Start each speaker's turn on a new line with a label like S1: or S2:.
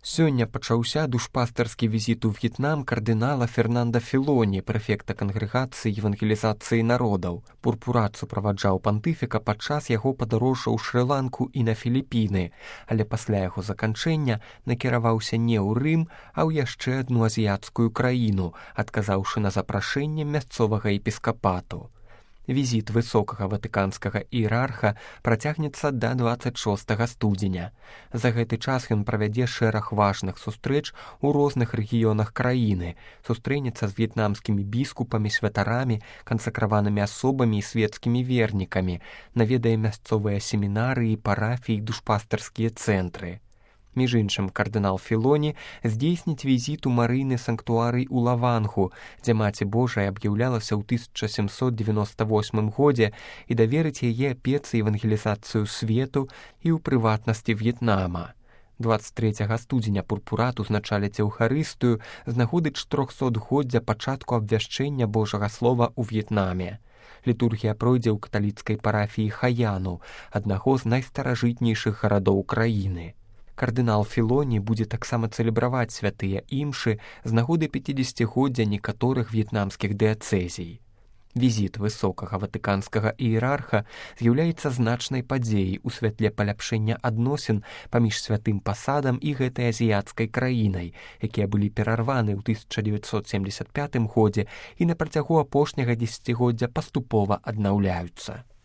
S1: Сёння пачаўся душпастарскі візіт у В'етнам кардынала Фернанда Філоні, прэфекта кангрэгацыі евангелізацыі народаў. Пурпурат суправаджаў пантыфіка падчас яго падарожжа ў Шры-Ланку і на Філіпіны, але пасля яго заканчэння накіраваўся не ў Рым, а ў яшчэ адну азіяцкую краіну, адказаўшы на запрашэнне мясцовага епіскапату. Візіт высокага ватыканскага іерарха працягнецца да 26 студзеня. За гэты час ён правядзе шэраг важных сустрэч у розных рэгіёнах краіны, сустрэнецца з в'етнамскімі біскупамі, святарамі, кансакраванымі асобамі і свецкімі вернікамі, наведае мясцовыя семінары і парафіі, душпастарскія цэнтры. Між іншым, кардынал Філоні здзейсніць візіт у марыйны санктуарый у Лавангу, дзе Маці Божая аб'яўлялася ў 1798 годзе і даверыць яе апецы евангелізацыю свету і ў прыватнасці В'етнама. 23 студзеня пурпурат узначаліць Еўхарыстыю з нагоды 400-годдзя пачатку абвяшчэння Божага слова ў В'етнаме. Літургія пройдзе ў каталіцкай парафіі Хаяну, аднаго з найстаражытнейшых гарадоў краіны. Кардынал Філоні будзе таксама цэлебраваць святыя імшы з нагоды 50-годдзя некаторых в'етнамскіх дыяцэзій. Візіт высокага ватыканскага іерарха з'яўляецца значнай падзеяй у святле паляпшэння адносін паміж святым пасадам і гэтай азіяцкай краінай, якія былі перарваны ў 1975 годзе і на працягу апошняга дзесяцігоддзя паступова аднаўляюцца.